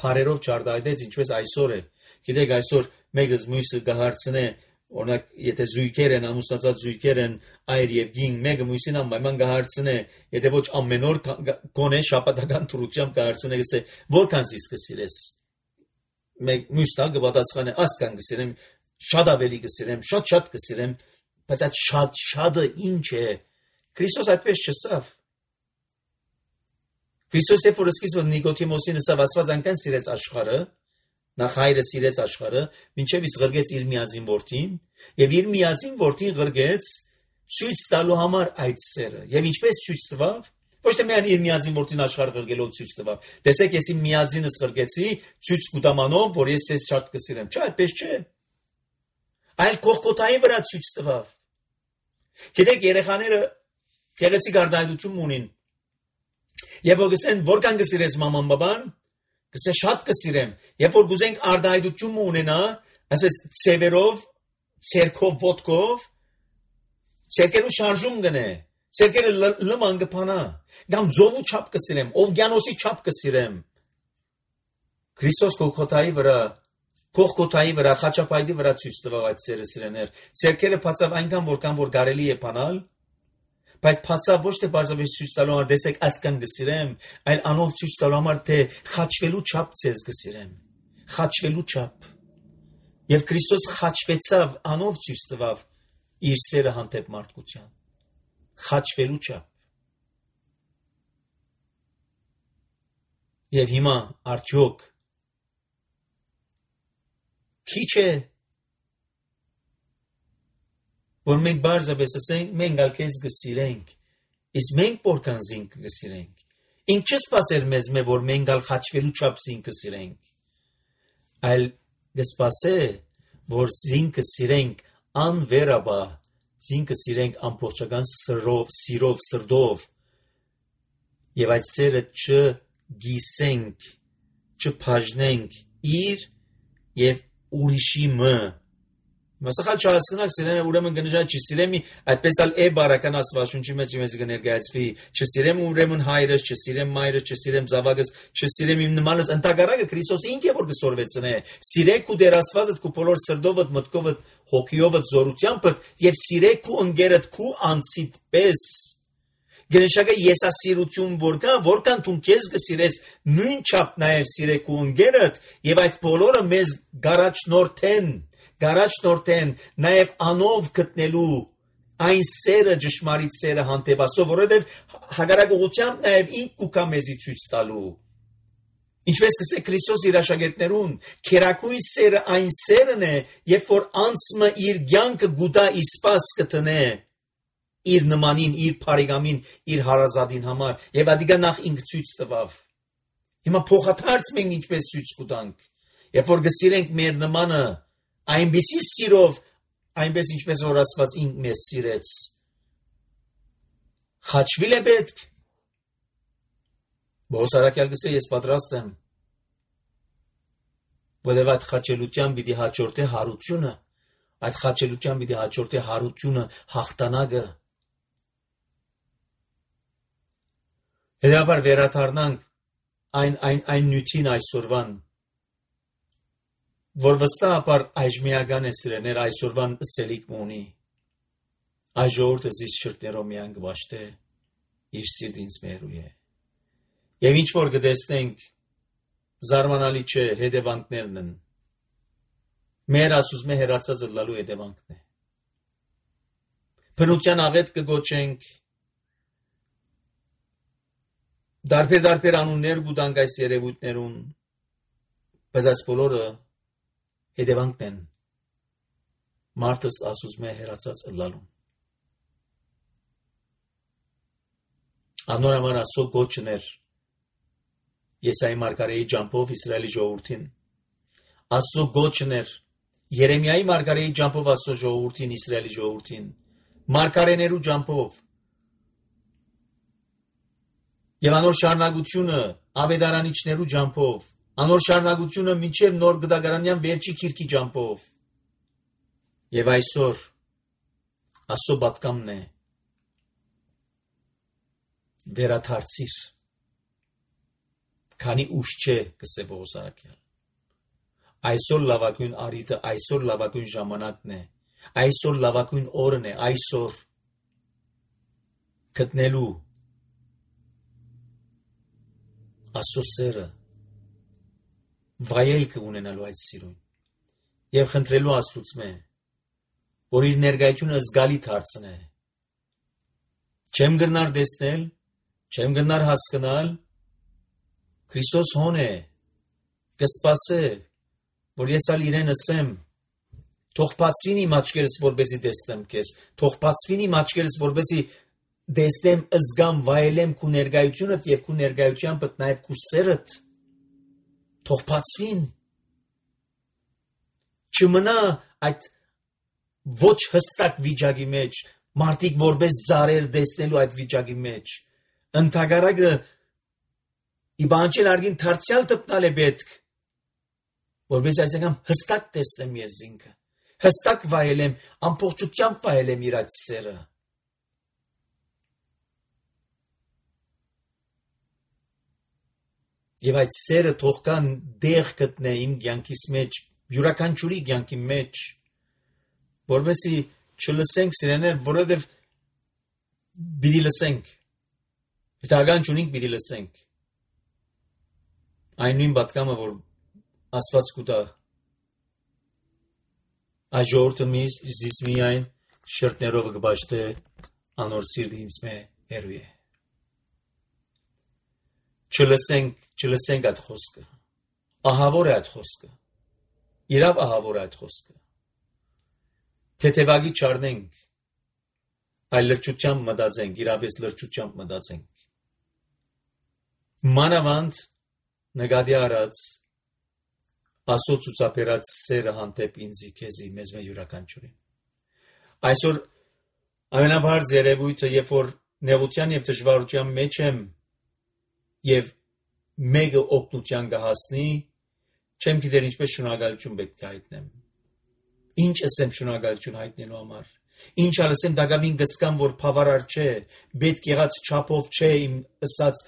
փարերով չարտահայտեց, ինչպես այսօր է, գիտեք այսօր մեկը մյուսը գահարցնե, օրինակ եթե զույգեր են, ամուսնացած զույգեր են, այր եւ գին, մեկը մյուսին անպայման գահարցնե, եթե ոչ ամեն օր գոնե շաբաթական թրությամբ գահարցնե, գսե որքան զիս կսիրես, մյուս տալ կպատասխանե, ասկան կսիրեմ, շատ ավելի կսիրեմ, շատ կսիրեմ, բայց այդ շատը ինչ է, Քրիստոս այդպես չսավ, Քրիստոս երբ որ սկիզբը Նիկոդիմոսին ասավ, Աստված այնքան սիրեց աշխարհը, նախ հայրը սիրեց աշխարհը, մինչև իսկ ղրգեց իր միածին որդին, եւ իր միածին որդին ղրգեց ցույց տալու համար այդ սերը։ Եվ ինչպես ցույց տվավ, ոչ թե միայն իր միածին որդին աշխարհը ղրգելով ցույց տվավ։ Տեսեք, ես իմ միածինս ղրգեցի ցույց կուտամանով, որ ես ձեզ շատ կսիրեմ։ Չէ, այդպես չէ։ Այլ Գողգոթայի վրա ցույց տվավ։ Գիտեք, երեխաները գեղեցիկ արտահայտություն ունին։ Եվ որ գսեն, որքան կսիրես մաման բաբան, գսե շատ կսիրեմ։ Երբ որ գուզենք արտահայտություն ունենա, այսպես ցևերով, ցերքով, ոտքով, ցերկերու շարժում գնե, ցերկերը լման կփանա, կամ ձովու չափ կսիրեմ, օվկիանոսի չափ կսիրեմ։ Քրիստոս Գողգոթայի վրա, խաչապայտի վրա ցույց տվավ այդ սերը սիրեներ։ Ցերկերը բացավ այնքան, որքան որ կարելի է բանալ, բայց բացավ ոչ թե բարձրապես ցույց տալու համար, տեսեք, այսքան կսիրեմ, այլ անով ցույց տալու համար, թե խաչվելու չափ ցեզ կսիրեմ, խաչվելու չափ։ Եվ Քրիստոս խաչվեցավ, անով ցույց տվավ իր սերը հանդեպ մարդկության, խաչվելու չափ։ Եվ հիմա արդյոք քիչ է, որ մենք բարձրապես ասենք, մենք ալ քեզ կսիրենք, իսկ մենք որքան զինք կսիրենք։ Ինչ չսպասեր մեզ, որ մենք ալ խաչվելու չափ զինք կսիրենք, այլ կսպասե, որ զինքը սիրենք անվերաբար, զինքը սիրենք ամբողջական սիրով, սրտով, եւ այդ սերը չգիսենք, չբաժնենք իր եւ ուրիշի մը։ Մասախալ չհասկանաք, սիրենը ուրեմն կնշանակի չսիրեմ, այդպես ալ է բարական Աստվածաշունչի մեջ մեզ կներկայացվի, չսիրեմ ուրեմն հայրս, չսիրեմ մայրս, չսիրեմ զավակս, չսիրեմ իմ նմանս, ընդհակառակը Քրիստոս ինքը է որ կսորվեցնե, սիրեք ու դեր Աստվածդ քու բոլոր սրտովդ, մտքովդ, հոգիովդ, զորությամբ եւ սիրեք քու ընկերդ քու անցիդ պես։ Գնշակը եսասիրություն որքան դու քեզ կսիրես, նույն չափ նաեւ սիրեք ու ընկերդ եւ այդ բոլորը մեզ գարաչնորթեն նաև անով գտնելու այն սերը ճշմարիտ սերը հանդեպ Աստծո, որովհետև հակառակությամբ նաև ինք կուքա մեզի ցույց տալու։ Ինչպես կսե Քրիստոս իր աշակերտներուն, քերակույն սերը այն սերն է, երբ որ անցմը իր կյանքը գուտա իսպաս կտնե իր նմանին, իր բարեկամին, իր հարազատին համար, եւ ադիգա նախ ինք ցույց տվավ։ Հիմա փոխադարձ մենք ինչպես ցույց կտանք։ Երբ որ գսիրենք մեր նմանը այնպիսի սիրով, այնպես ինչպես որ Աստված ինքն մեզ սիրեց, խաչվիլ է պետք։ Բողոս առաքյալ գսե ես պատրաստ եմ, որովհետև այդ խաչելության պիտի հաջորդե հարությունը, այդ խաչելության պիտի հաջորդե հարությունը, հաղթանակը։ Հետաբար վերադառնանք այն նյութին այսօրվան, որ վստահաբար այժմիական է սիրեներ այսօրվան սելիք ունի։ Այս ժողովուրդը զիս շրտներով միան գվաշտե իր սիրտինց մերու է։ Եվ ինչ որ գտեսնենք զարմանալի չէ, հետևանքներն են։ Մեր ասուսմե հերացածը լալու հետևանքն է։ Բնության աղետ կգոչենք, դարբեր անուններ կուտանք այս երևույթներուն, բայց այս բոլորը հետևանքն են մարդս ասուսմե հերացած լալուն։ Անոր համար ասո գոչներ Եսայի մարգարեի ջամփով Իսրայելի ժողովրդին, ասո գոչներ Երեմիայի մարգարեի ջամփով ասո ժողովրդին, Իսրայելի ժողովրդին, մարգարեներու ջամփով, եւ անոր շարունակությունը ավետարանիչներու ջամփով, անոր շարունակությունը մինչև նոր գդագարանյան վերջի քիրքի ջամփով։ Եվ այսօր ասո պատկամն է վերաթարցիր, քանի ուշ չէ, գսե Բողոս առաքյալ։ Այսօր լավագույն առիթը, այսօր լավագույն ժամանակն է, այսօր լավագույն օրն է, այսօր գտնելու ասո սերը, վայելքը ունենալու այդ սիրուն եւ խնդրելու Աստծուց որ իր ներկայությունը զգալի դարձնե։ Չեմ գնար տեսնել, չեմ գնար հասկանալ, Քրիստոս հոն է, կսպասե, որ ես ալ իրեն ասեմ, թող բացվին իմ աչքերս, որպեսզի տեսնեմ քեզ, թող բացվին իմ աչքերս, որպեսզի տեսնեմ, զգամ, վայելեմ քու ներկայությունդ եւ քու ներկայությամբ նաեւ քու սերդ, թող բացվին, չմնա այդ ոչ հստակ վիճակի մեջ, մարդիկ որպես ծառեր տեսնելու այդ վիճակի մեջ, ընդհակառակը իբանչել արգին դարձյալ տպնալ է պետք, որպես այսինքն հստակ տեսնեմ ես ինքը, հստակ վայելեմ, ամբողջությամբ վայելեմ իր այդ սերը։ Եվ այդ սերը թող կան դեղ գտնե իմ կյանքիս մեջ, յուրաքանչյուրի կյանքի մեջ, որովհետեւ չլսենք սիրեներ, որովհետեւ պիտի լսենք, հետագան չունենք պիտի լսենք։ Այն նույն պատկամը, որ Աստված կուտա, այս ժողովուրդը զիս միայն շրտներով կբաշխտե անոր սիրտը ինձ մե հերու է։ Չլսենք այդ խոսքը, ահավոր է այդ խոսքը, իրավ ահավոր է այդ խոսքը, թեթևագի չարնենք, այլ լրջությամբ մտածենք, իրապես լրջությամբ մտածենք։ Մանավանդ նկատի առած Աստծո ցուցաբերած սերը հանդեպ ինձի քեզի մեզ մե յուրաքանչյուրին։ Այսօր ամենաբարձ երևույթը, երբ որ նեղության եւ դժվարության մեջ եմ եւ մեկը օգնության կհասնի, չեմ գիտեր ինչպես շնորհակալություն պետք է հայտնեմ։ Ինչ ասեմ շնորհակալություն հայտնելու համար։ Ինչ ասեմ դակավին գսկամ, որ բավարար չէ, պետք եղած չափով չէ իմ ըսած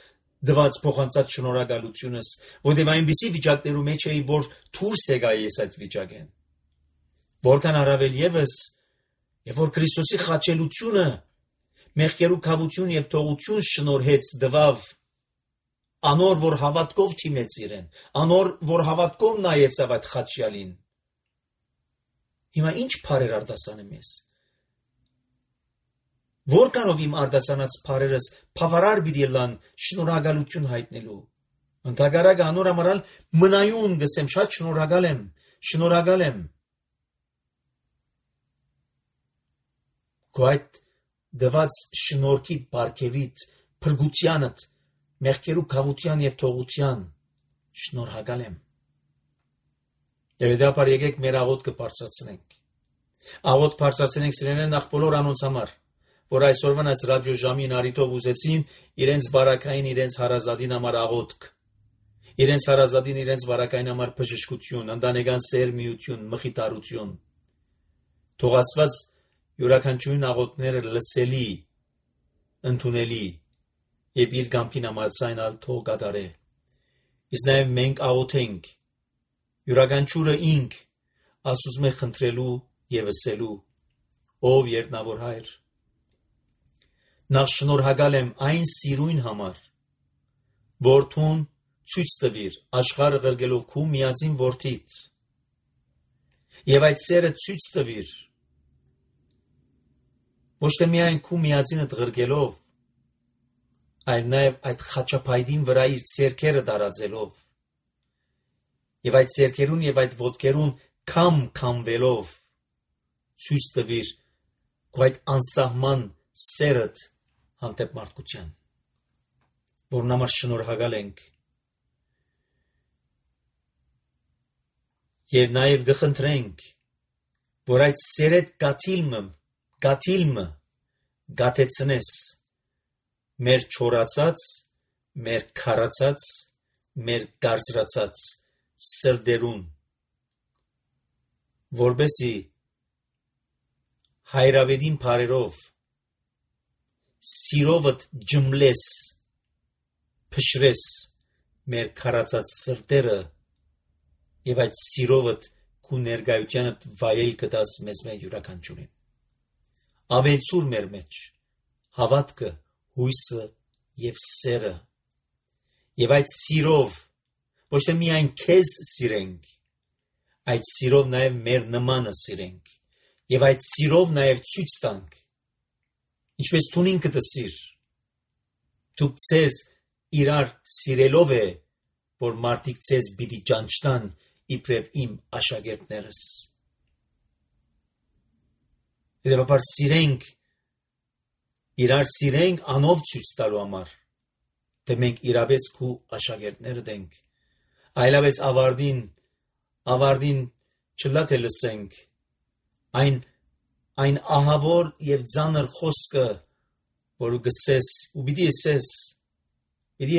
դված փոխանցած շնորհակալությունս, որտեղ այնպիսի վիճակներում մեջ էի, որ դուրս եկա ես այդ վիճակեն։ Որքան առավել եւս, եւ որ Քրիստոսի խաչելությունը մեղքերու քավություն եւ թողություն շնորհեց դվավ, անոր որ հավատքով թիմեց իրեն, անոր որ հավատքով նայեցավ այդ խաչյալին։ Հիմա ինչ բարեր արտասանեմ ես։ Որքանով իմ արտասանած բարերս բավարար պիտի լան շնորհակալություն հայտնելու։ Ընդհակառակը անոր համար մնայուն գսեմ, շատ շնորհակալ եմ։ Քո այդ դված շնորհքի բարգեւիտ, փրկությանդ, մեղքերու քավության եւ թողության շնորհակալ եմ։ Եվ հետապար եկեք մեր աղոթքը բարձրացնենք։ Աղոթ բարձրացնենք սիրելիներ նախ բոլոր անոնց համար, որ այսօրվան այս ռադիո ժամին արիտով ուզեցին իրենց բարակային, իրենց հարազատին համար աղոթք, իրենց հարազատին, իրենց բարակային համար բժշկություն, ընտանեկան սեր, միություն, մխիթարություն։ Թող Աստված յուրաքանչյուրին աղոթքները լսելի, ընդունելի եւ իր կամքին համաձայնալ թող կատարե։ Իսկ նաեւ մենք աղոթենք յուրաքանչյուրը ինք Աստծո խնդրելու եւ ասելու. ով երտնավոր Հայր, նախ շնորհակալ եմ այն սիրույն համար, որ Տուն ցույց տվիր աշխարհը ղրգելով քու միածին որդիդ, եւ այդ սերը ցույց տվիր ոչ թե միայն քու միածինը ղրգելով, այլ նաեւ այդ խաչապայդին վրա իր ցերքերը դարածելով, եւ այդ ցերքերուն եւ այդ ոտքերուն քամվելով ցույց տվիր քու այդ անսահման սերդ հանդեպ մարդկության, որն համար շնորհակալ ենք եւ նաեւ գխնդրենք, որ այդ սերեդ գաթիլմը գաթեցնես մեր չորացած, մեր քարացած, մեր գարձրացած սրդերուն, որբեսի հայրավետին բարերով սիրովդ ջմլես, փշրես մեր քարացած սրտերը եւ այդ սիրովդ քու ներկայությանդ վայել կտաս մեզ մեր յուրաքանչյուրին։ Ավելցուր մեր մեջ հավատքը, հույսը եւ սերը, եւ այդ սիրով ոչ թե միայն քեզ սիրենք, այդ սիրով նաեւ մեր նմանը սիրենք, եւ այդ սիրով նաեւ ցույց տանք, ինչպես Տուն ինքդ սիր, դուք ձեզ իրար սիրելով է, որ մարդիկ ձեզ պիտի ճանչնան իբրև իմ աշակերտներս։ Հետևաբար սիրենք, իրար սիրենք անով ցույց տալու համար, թե մենք իրապես քու աշակերտները դենք, այլապես ավարտին չլա թե լսենք այն ահավոր եւ ծանր խոսքը, որ գսես ու պիտի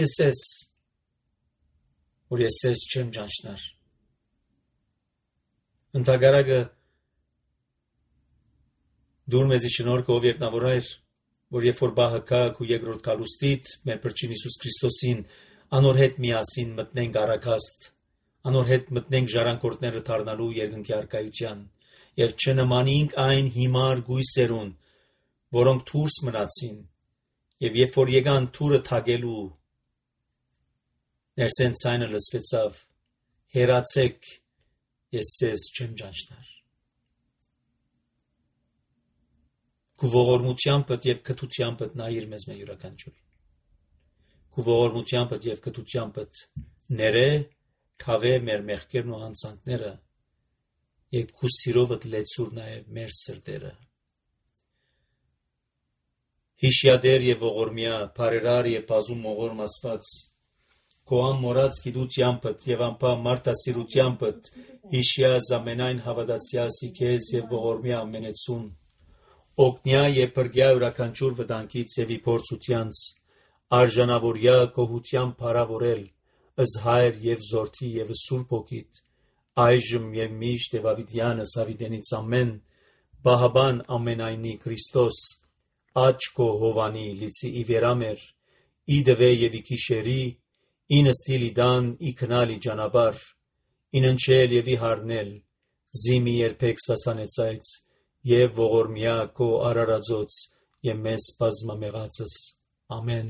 ասես, որ ես ես չեմ ճանչնար։ Ընդհակառակը դուր մեզի շնորհքը ով երտնավոր Հայր, որ երբ որ բահը կա քու երկրորդ կալուստիդ մեր Փրկին Հիսուս Քրիստոսին անոր հետ միասին մտնենք առաքաստ, անոր հետ մտնենք ժառանգորդները դառնալու երկնքի արքայության եւ չնմանենք այն հիմար գույսերուն, որոնք դուրս մնացին, եւ երբ որ եկան թուրը թագելու, ներսեն ցայնը լսվեցավ. հերացեք, ես ձեզ չեմ ճանչնար։ Քու ողորմությամբ եւ քթությամբ նայիր մեզ մեր յուրաքանչյուրին։ Քու ողորմությամբ եւ քթությամբ ներե քավե մեր մեղքերն ու հանցանքները եւ քու սիրովդ լեցուր նաեւ մեր սրտերը։ Հիշյադեր եւ ողորմյա, բարերար եւ բազում ողորմ Աստված, քո ամորած գիտությանդ եւ անպա մարդասիրությանդ հիշյա զամենայն հավատացյալի քեզ եւ ողորմյա ամենեցուն, օգնյա եւ բրգյա յուրաքանչյուր վտանգից եւ իփորձությանց, արժանավորյա գոհության փարավորել, ըզ հայր եւ զորթի եւ սուրբ ոգիտ, այժմ եւ միշտ եւ ավիդյանս ավիդենից ամեն, բահաբան ամենայնի Քրիստոս, աչքո հովանի լիցի իվերամեր, իդվե եւ իքիշերի, ինստիլի դան իքնալի ճանապար, ինընչել եւ իհարնել, զիմի երբեք սասանեցայց եւ ողորմյա քո արարածոց եւ մեզ բազմամեղածս ամեն